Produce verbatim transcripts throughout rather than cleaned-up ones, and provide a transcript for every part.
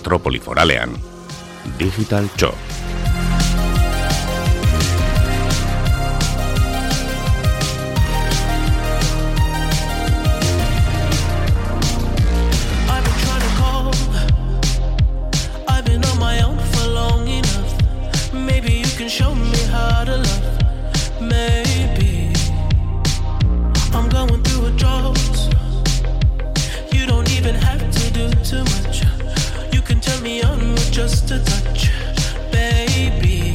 Metropoli Foralean, Digital Txo. Just a touch, baby.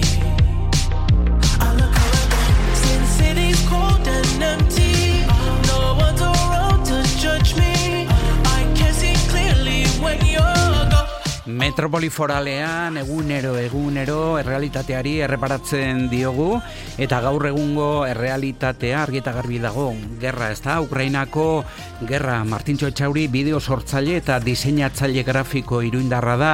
I look around, since city's cold and empty, no one's around to judge me. I can see clearly when you're gone. Metropoli Foralean egunero egunero errealitateari erreparatzen diogu eta gaur egungo errealitatea argi eta garbi dago. Gerra, ez da? Ukrainako gerra. Martintxo Etxauri bideo sortzaile eta diseinatzaile grafiko iruindarra da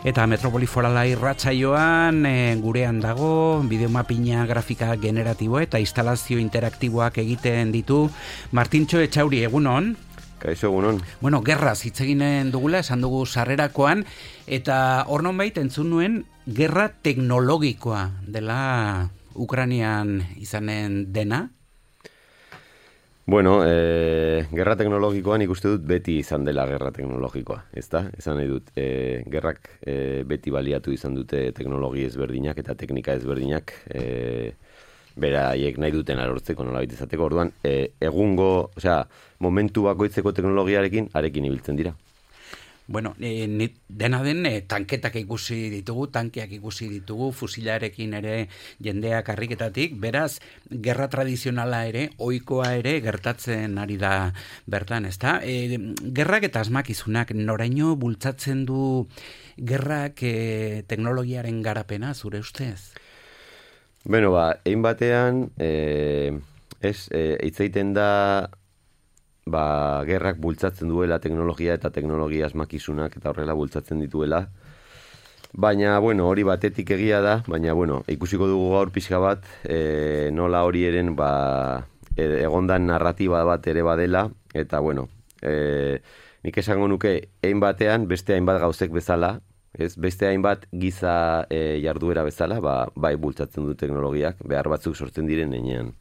eta Metropoli Forala irratsaioan e, gurean dago bideo mapina grafika generatibo eta instalazio interaktiboak egiten ditu. Martintxo Etxauri, egunon? Kaixo, egunon. Bueno, gerra zitzeginen dugula, esan dugu sarrerakoan, eta hor nonbait entzun nuen gerra teknologikoa dela Ukrainian izanen dena? Bueno, eh, gerra teknologikoan ikuste dut beti izan dela gerra teknologikoa, ezta? Esan nahi dut, eh, gerrak eh, beti baliatu izan dute teknologi ezberdinak eta teknika ezberdinak, eh, beraiek nahi duten alortzeko nolabait izateko. Orduan, e, egungo, osea, momentu bakoitzeko teknologiarekin arekin ibiltzen dira. Bueno, e, dena den e, tanketak ikusi ditugu, tankeak ikusi ditugu, fusilarekin ere jendeak karriketatik, beraz, gerra tradizionala ere, ohikoa ere gertatzen ari da bertan, ezta? E, gerrak eta asmakizunak noraino bultzatzen du gerrak e, teknologiaren garapena, zure ustez? Bueno, ba, egin batean, eh, ez, eh, itzaiten da, ba, gerrak bultzatzen duela teknologia eta teknologia asmakizunak eta horrela bultzatzen dituela. Baina, bueno, hori batetik egia da, baina, bueno, ikusiko dugu gaur pixka bat, eh, nola hori eren, ba, egondan narratiba bat ere badela, eta, bueno, eh, nik esango nuke, egin batean, beste hainbat gauzek bezala, ez, beste hainbat giza e, jarduera bezala, ba, bai bultzatzen du teknologiak, behar batzuk sortzen diren enean.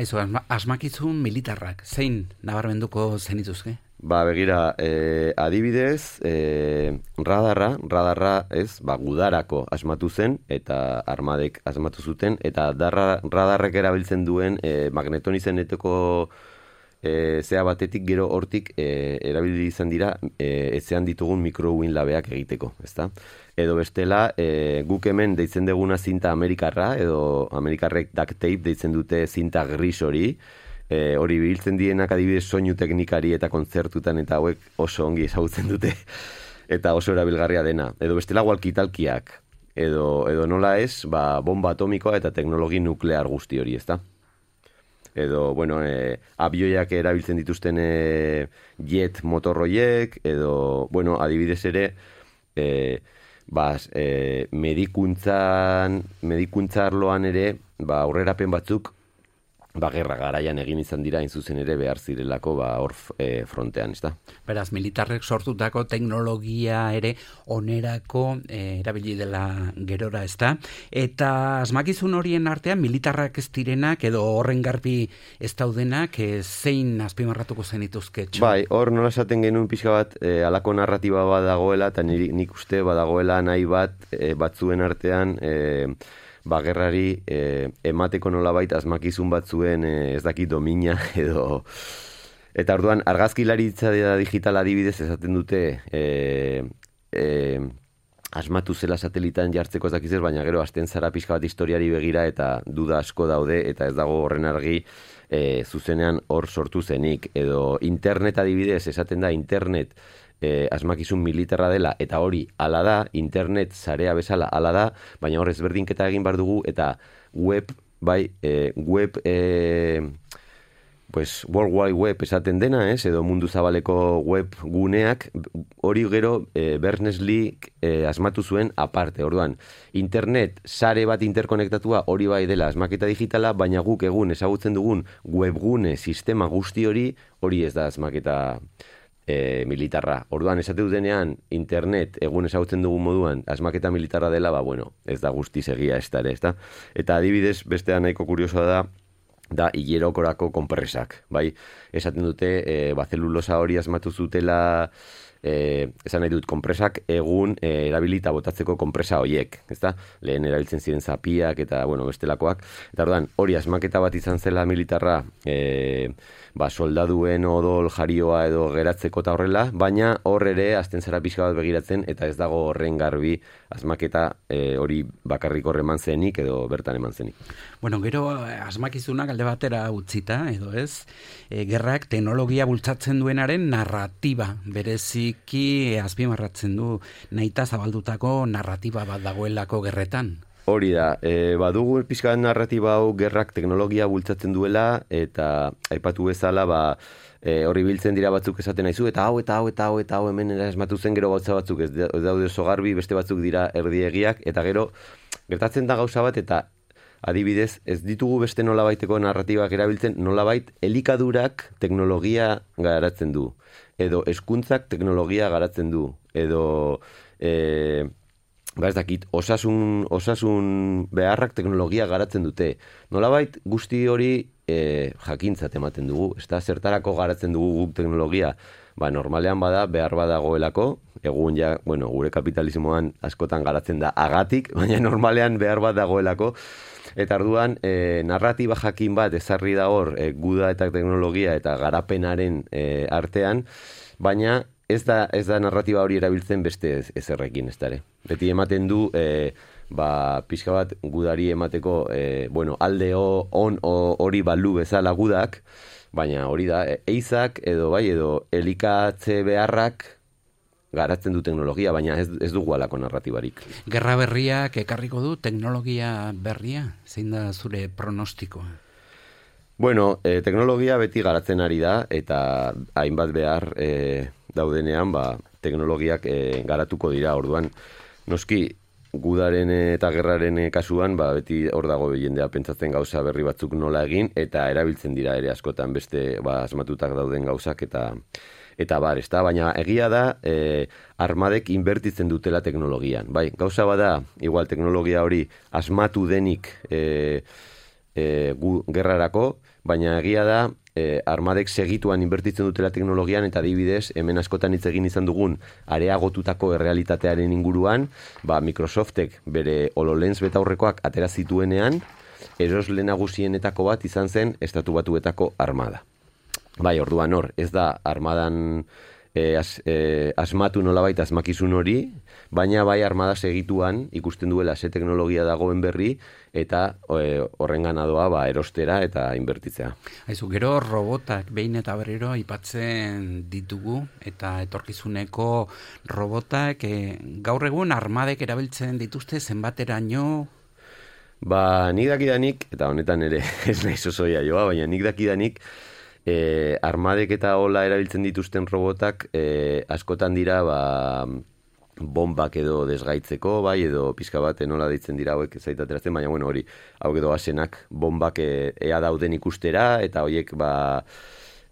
Aizu, asma, asmakizun militarrak, zein nabarmenduko zenituzke? Ba, begira, e, adibidez, e, radarra, radarra, ez, ba, gudarako asmatu zen, eta armadek asmatu zuten, eta darra, radarrek erabiltzen duen e, magnetonizeneteko E, zea batetik gero hortik e, erabili izan dira e, etzean ditugun mikrouin labeak egiteko, ezta? Edo bestela, e, guk hemen deitzen deguna zinta amerikarra, edo amerikarrek duct tape deitzen dute zinta gris hori, e, hori biltzen dienak adibidez soinu teknikari eta kontzertutan eta hauek oso ongi ezagutzen dute, eta oso erabilgarria dena. Edo bestela walkie-talkieak, edo, edo nola ez, ba, bomba atomikoa eta teknologi nuklear guzti hori, ezta? Edo, bueno, e, abioiak erabiltzen dituzten e, jet motorroiek, edo, bueno, adibidez ere, e, bas, e, medikuntzan, medikuntzarloan ere, ba, aurrerapen batzuk, ba, gerra garaian egin izan dira, hain zuzen ere behar zirelako, ba, hor e, frontean, ez da? Beraz, militarrek sortutako teknologia ere onerako e, erabili dela gerora, ez da? Eta asmakizun horien artean, militarrak ez direnak, edo horren garbi ez daudenak, e, zein azpimarratuko zenituzke? Bai, hor nola esaten genuen pixka bat, e, alako narratiba bat dagoela, eta nik, nik uste badagoela nahi bat, e, batzuen artean, e, ba, gerrari e, emateko nolabait asmakizun batzuen e, ez dakit domina edo... Eta orduan, argazkilaritza digital adibidez esaten dute e, e, asmatu zela satelitan jartzeko ez dakiz, baina gero hasten zara pixka bat historiari begira eta duda asko daude eta ez dago horren argi e, zuzenean hor sortu zenik. Edo internet adibidez esaten da internet E, asmakizun militarra dela, eta hori ala da, internet sarea bezala ala da, baina hor ezberdinketa egin bar dugu, eta web, bai, e, web, e, pues, World Wide Web esaten dena, ez, edo mundu zabaleko web guneak, hori gero e, Berners-Lee e, asmatu zuen aparte, orduan, internet sare bat interkonektatua hori bai dela asmaketa digitala, baina guk egun ezagutzen dugun webgune sistema guzti hori, hori ez da asmaketa e, militarra. Orduan, esate dutenean, internet, egun ezagutzen dugun moduan, asmaketa militarra dela, ba, bueno, ez da guztiz egia ez da ere, ez da? Eta adibidez, bestea nahiko kuriosoa da, da hilerokorako konpresak, bai? Esaten dute, e, ba, zelulosa hori asmatu zutela, e, esan nahi dut, konpresak egun e, erabilita botatzeko konpresa horiek, ezta? Lehen erabiltzen ziren zapiak eta, bueno, bestelakoak. Eta orduan, hori asmaketa bat izan zela militarra, e, ba, soldaduen odol jarioa edo geratzeko eta horrela, baina hor ere azten zara pixka bat begiratzen eta ez dago horren garbi asmaketa e, hori bakarrik hor eman zenik edo bertan eman zenik. Bueno, gero asmakizunak alde batera utzita, edo ez, e, gerrak teknologia bultzatzen duenaren narratiba, bereziki azpimarratzen du nahita zabaldutako narratiba bat dagoelako gerretan. Hori da, e, badugu pixka narratiba hau gerrak teknologia bultzatzen duela eta aipatu bezala, ba, e, horri biltzen dira batzuk esaten naizu, eta hau, eta hau, eta hau, eta hau hemen esmatu zen gero gauza batzuk ez daude oso garbi, beste batzuk dira erdiegiak, eta gero gertatzen da gauza bat, eta adibidez, ez ditugu beste nolabaiteko narratibak erabiltzen, nolabait elikadurak teknologia garatzen du, edo hezkuntzak teknologia garatzen du, edo e, ba ez dakit, osasun, osasun beharrak teknologia garatzen dute. Nolabait guzti hori e, jakintzat ematen dugu, ez da zertarako garatzen dugu guk teknologia, ba normalean bada behar badagoelako, egun ja, bueno, gure kapitalismoan askotan garatzen da agatik, baina normalean behar bat dagoelako, eta orduan e, narratiba jakin bat ezarri da hor e, guda eta teknologia eta garapenaren e, artean, baina ez da, ez da narratiba hori erabiltzen beste ez, ezerrekin, ez dara. Beti ematen du, e, ba, pixka bat gudari emateko, e, bueno, alde o, on hori balu bezala gudak, baina hori da, e, eizak edo bai, edo elikatze beharrak garatzen du teknologia, baina ez, ez dugu alako narratibarik. Gerra berriak ekarriko du teknologia berria? Zein da zure pronostikoa? Bueno, e, teknologia beti garatzen ari da, eta hainbat behar e, daudenean, ba, teknologiak e, garatuko dira, orduan, noski, gudaren eta gerraren kasuan, ba, beti hor dago jendea pentsatzen gauza berri batzuk nola egin, eta erabiltzen dira ere askotan beste ba, asmatutak dauden gauzak, eta eta bar, ez da, baina egia da, e, armadek inbertitzen dutela teknologian. Bai, gauza bada, igual teknologia hori asmatu denik e, e, gu, gerrarako, baina egia da, e, armadek segituan inbertitzen dutela teknologian, eta adibidez, hemen askotan hitz egin izan dugun areagotutako errealitatearen inguruan, ba, Microsoftek bere HoloLens betaurrekoak atera zituenean, erosle nagusienetako bat izan zen Estatu Batuetako armada. Bai, orduan hor, ez da armadan e, as, e, asmatu nolabait asmakizun hori, baina bai armada segituan ikusten duela ze teknologia dagoen berri, eta e, horren ganadoa ba, erostera eta inbertitzea. Aizu, gero robotak behin eta berriro aipatzen ditugu, eta etorkizuneko robotak e, gaur egun armadek erabiltzen dituzte zenbateraino? Ba, nik dakidanik, eta honetan ere ez naiz osoia joa, baina nik dakidanik, E, armadek eta hola erabiltzen dituzten robotak e, askotan dira ba, bombak edo desgaitzeko, bai, edo pizka bat nola deitzen dira hauek zaitateratzen, baina bueno, hori, hau edo asenak bombak e, ea dauden ikustera, eta horiek ba,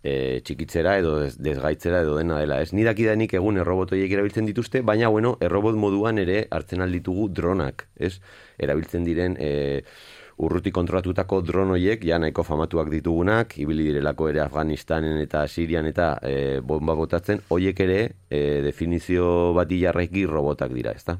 e, txikitzera edo des, desgaitzera edo dena dela. Ez nidakidanik egun errobot horiek erabiltzen dituzte, baina bueno, errobot moduan ere hartzen alditugu dronak, ez? Erabiltzen diren E, urruti kontrolatutako dron horiek, ja nahiko famatuak ditugunak, ibili direlako ere Afganistanen eta Sirian eta e, bomba botatzen, horiek ere e, definizio bati jarraiki robotak dira, ezta?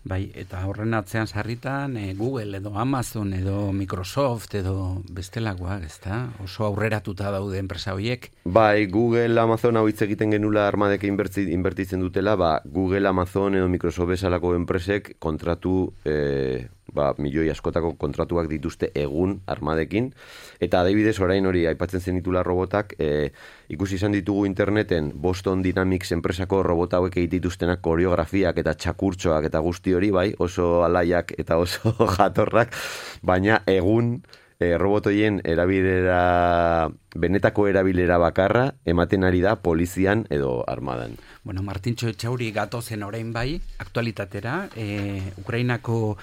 Bai, eta horren atzean sarritan e, Google edo Amazon edo Microsoft edo bestelakoak, ezta? Oso aurreratuta daude enpresa horiek. Bai, Google, Amazon hau hitz egiten genula armadek inbertitzen dutela, ba, Google, Amazon edo Microsoft bezalako enpresek kontratu e, ba, milioi askotako kontratuak dituzte egun armadekin, eta adibidez orain hori aipatzen zenitula robotak, e, ikusi izan ditugu interneten Boston Dynamics enpresako robota hauek egitituztenak koreografiak eta txakurtxoak eta guzti hori, bai, oso alaiak eta oso jatorrak, baina egun e, robotoien erabilera, benetako erabilera bakarra ematen ari da polizian edo armadan. Bueno, Martintxo Etxauri gatozen orain bai, aktualitatera, e, Ukrainako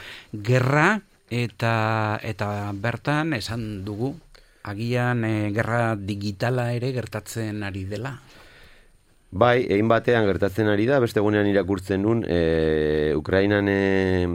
gerra eta eta bertan esan dugu agian e, gerra digitala ere gertatzen ari dela. Bai, egin batean gertatzen ari da, beste egunean irakurtzen nun, e, Ukrainan e,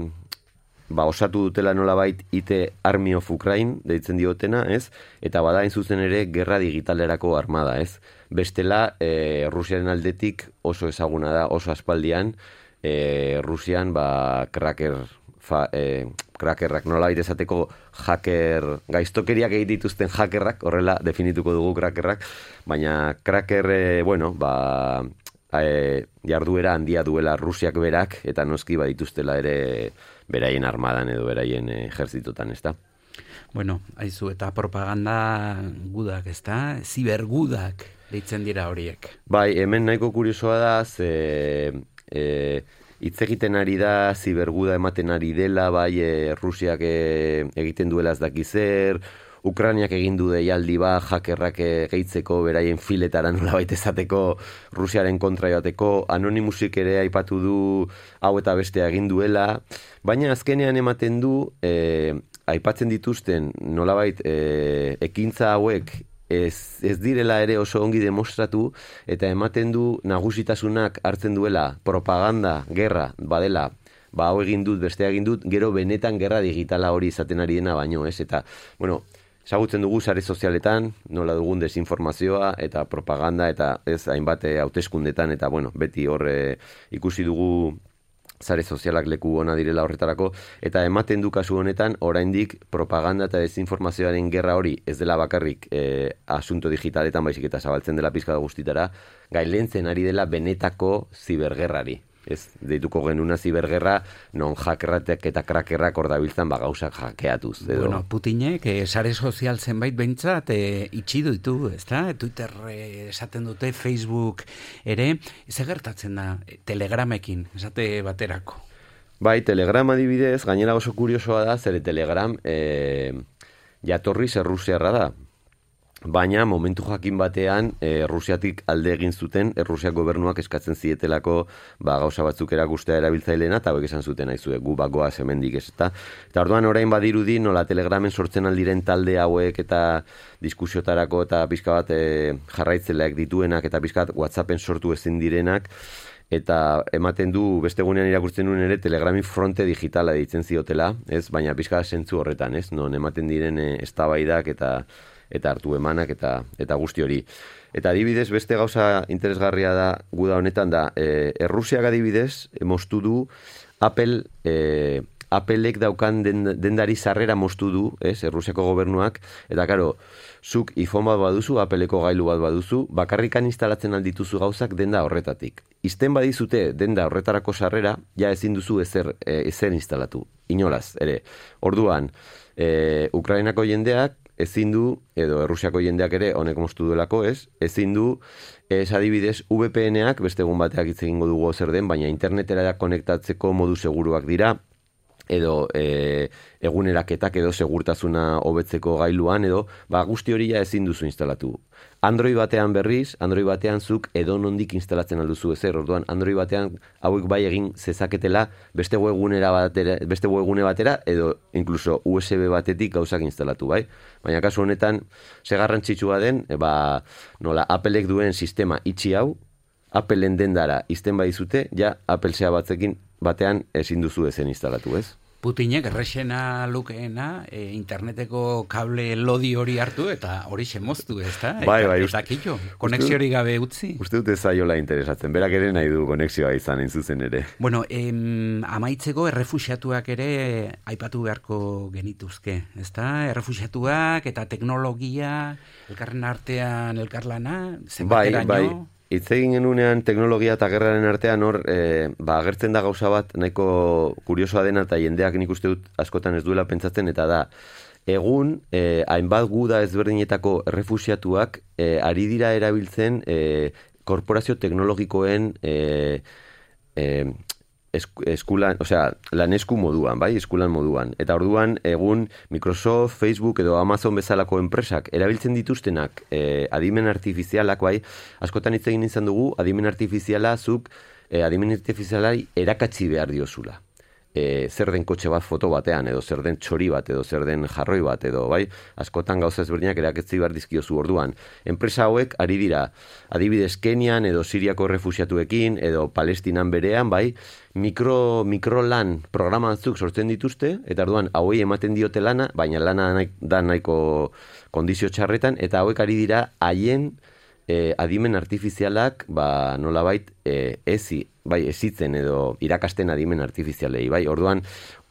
ba, osatu dutela nolabait I T Army of Ukraine, deitzen diotena, ez? Eta bada hain zuzen ere gerra digitalerako armada, ez? Bestela, e, Rusiaren aldetik oso ezaguna da, oso aspaldian, e, Rusian, ba, cracker, fa, e, crackerrak nolabait esateko hacker, gaiztokeriak egin dituzten hackerrak, horrela definituko dugu crackerrak, baina cracker, e, bueno, ba, e, jarduera handia duela Rusiak berak, eta noski badituztela ere beraien armadan edo beraien ejerzitotan, ez da? Bueno, haizu, eta propaganda gudak, ez da? Zibergudak deitzen dira horiek. Bai, hemen nahiko kuriosoa da, ze... E, hitz egiten ari da, ziberguda ematen ari dela, bai, e, Rusiak e, egiten duela ez daki zer, Ukrainiak egin du deialdi ba, hackerrak gehitzeko, beraien filetara nolabait esateko, Rusiaren kontra joateko, Anonymousik ere aipatu du hau eta bestea egin duela, baina azkenean ematen du, e, aipatzen dituzten nolabait e, ekintza hauek, Ez, ez direla ere oso ongi demostratu, eta ematen du nagusitasunak hartzen duela propaganda, gerra, badela, ba hau egin dut, bestea egin dut, gero benetan gerra digitala hori izaten ari dena baino, ez? Eta, bueno, ezagutzen dugu sare sozialetan, nola dugun desinformazioa eta propaganda, eta ez hainbat hauteskundetan, eta bueno, beti hor ikusi dugu sare sozialak leku ona direla horretarako, eta ematen du kasu honetan, oraindik propaganda eta desinformazioaren gerra hori ez dela bakarrik e, asunto digitaletan baizik eta zabaltzen dela pizka da guztitara, gailentzen ari dela benetako zibergerrari. Ez, deituko genuna zibergerra, non hackerratek eta crackerrak hor dabiltzan ba gauzak hackeatuz. Edo. Bueno, Putinek eh, sare sozial zenbait behintzat eh, itxi ditu, ezta? Twitter eh, esaten dute, Facebook ere, ze gertatzen da Telegramekin, esate baterako. Bai, Telegram adibidez, gainera oso kuriosoa da, zere Telegram eh, jatorriz errusiarra da. Baina momentu jakin batean e, Rusiatik alde egin zuten, e, Rusiak gobernuak eskatzen zietelako ba, gauza batzuk erakustea erabiltzaileena, eta hauek esan zuten aizue, gu bagoaz hemendik ez eta. Eta orduan orain badirudi nola Telegramen sortzen aldiren talde hauek eta diskusiotarako eta pizka bat e, jarraitzeleak dituenak eta pizka bat WhatsAppen sortu ezin direnak, eta ematen du beste egunean irakurtzen nuen ere Telegramin fronte digitala deitzen ziotela, ez? Baina pizka zentzu horretan, ez? Non ematen diren e, eztabaidak eta eta hartu emanak eta eta guzti hori. Eta adibidez, beste gauza interesgarria da guda honetan da, e, Errusiak adibidez, moztu du Apple, e, Applek daukan den, dendari sarrera moztu du, ez, Errusiako gobernuak, eta karo, zuk iPhone bat baduzu, Appleko gailu bat baduzu, bakarrikan instalatzen aldituzu gauzak denda horretatik. Izten badizute denda horretarako sarrera, ja ezin duzu ezer, e, ezer instalatu, inolaz, ere. Orduan, e, Ukrainako jendeak, ezin du, edo Errusiako jendeak ere honek moztu duelako, ez? Ezin du, ez adibidez, V P N-ak, beste egun bateak hitz egingo dugu zer den, baina internetera konektatzeko modu seguruak dira, edo e, eguneraketak edo segurtasuna hobetzeko gailuan, edo ba, guzti hori ja ezin duzu instalatu. Android batean berriz, Android batean zuk edo nondik instalatzen alduzu ezer, orduan Android batean hauek bai egin zezaketela beste webgunera batera, beste webgune batera edo incluso U S B batetik gauzak instalatu, bai? Baina kasu honetan, ze garrantzitsua den, e, ba, nola Applek duen sistema itxi hau, Appleen dendara izten badizute, ja Apple zea batzekin batean ezin duzu ezen instalatu, ez? Putinek errexena lukeena e, interneteko kable lodi hori hartu eta hori moztu, ez da? Bai, bai. Eta kitxo, konexio hori gabe utzi. Uste dute zaiola interesatzen, berak ere nahi du konexioa izan zuzen ere. Bueno, em, amaitzeko errefuxiatuak ere aipatu beharko genituzke, ez da? Errefuxiatuak eta teknologia, elkarren artean elkarlana, zenbateraino? Bai, bai. Hitz egin genunean teknologia eta gerraren artean hor, e, ba, agertzen da gauza bat nahiko kuriosoa dena eta jendeak nik uste dut askotan ez duela pentsatzen, eta da, egun, e, hainbat guda ezberdinetako errefuxiatuak e, ari dira erabiltzen e, korporazio teknologikoen e, e, eskulan, osea, lan esku moduan, bai, eskulan moduan. Eta orduan, egun Microsoft, Facebook edo Amazon bezalako enpresak erabiltzen dituztenak eh, adimen artifizialak, bai, askotan hitz egin izan dugu, adimen artifiziala zuk, eh, adimen artifizialari erakatsi behar diozula. e, zer den kotxe bat foto batean, edo zer den txori bat, edo zer den jarroi bat, edo bai, askotan gauza ezberdinak eraketzi behar dizkiozu orduan. Enpresa hauek ari dira, adibidez Kenian, edo Siriako refusiatuekin, edo Palestinan berean, bai, mikro, mikrolan programa batzuk sortzen dituzte, eta orduan hauei ematen diote lana, baina lana nahi, da nahiko kondizio txarretan, eta hauek ari dira haien E, adimen artifizialak ba, nolabait e, ezi, bai, ezitzen edo irakasten adimen artifizialei, bai, orduan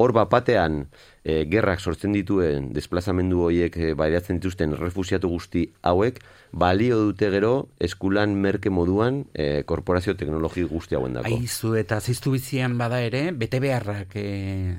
hor bapatean e, gerrak sortzen dituen desplazamendu horiek e, baidatzen dituzten refusiatu guzti hauek balio dute gero eskulan merke moduan e, korporazio teknologi guzti hauen dako. Aizu eta ziztu bizian bada ere, bete beharrak e,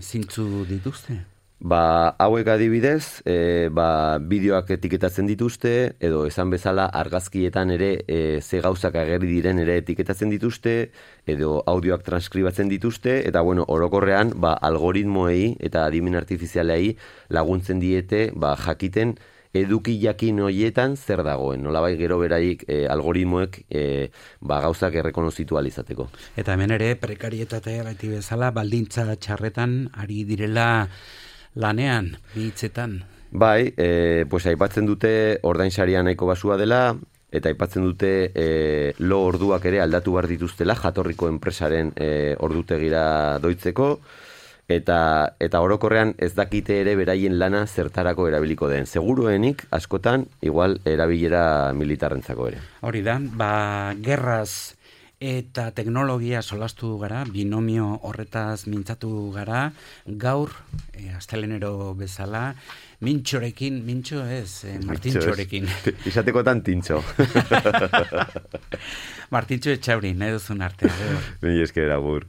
zintzu dituzte? Ba, hauek adibidez, e, ba, bideoak etiketatzen dituzte, edo esan bezala argazkietan ere e, ze gauzak agerri diren ere etiketatzen dituzte, edo audioak transkribatzen dituzte, eta bueno, orokorrean, ba, algoritmoei eta adimen artifizialei laguntzen diete, ba, jakiten eduki jakin horietan zer dagoen. Nolabait gero beraik e, algoritmoek e, ba, gauzak errekonozitu alizateko. Eta hemen ere prekarietatea beti bezala baldintza txarretan ari direla lanean, bitzetan. Bai, e, pues aipatzen dute ordainsaria nahiko basua dela, eta aipatzen dute e, lo orduak ere aldatu behar dituztela jatorriko enpresaren e, ordutegira doitzeko, eta eta orokorrean ez dakite ere beraien lana zertarako erabiliko den. Seguruenik askotan igual erabilera militarrentzako ere. Hori da, ba, gerraz eta teknologia solastu gara, binomio horretaz mintzatu gara, gaur, e, astelenero bezala, mintxorekin, mintxo ez, e, Martintxorekin. Izatekotan tintxo. Martintxo etxauri, nahi duzun artea. Ni esker agur.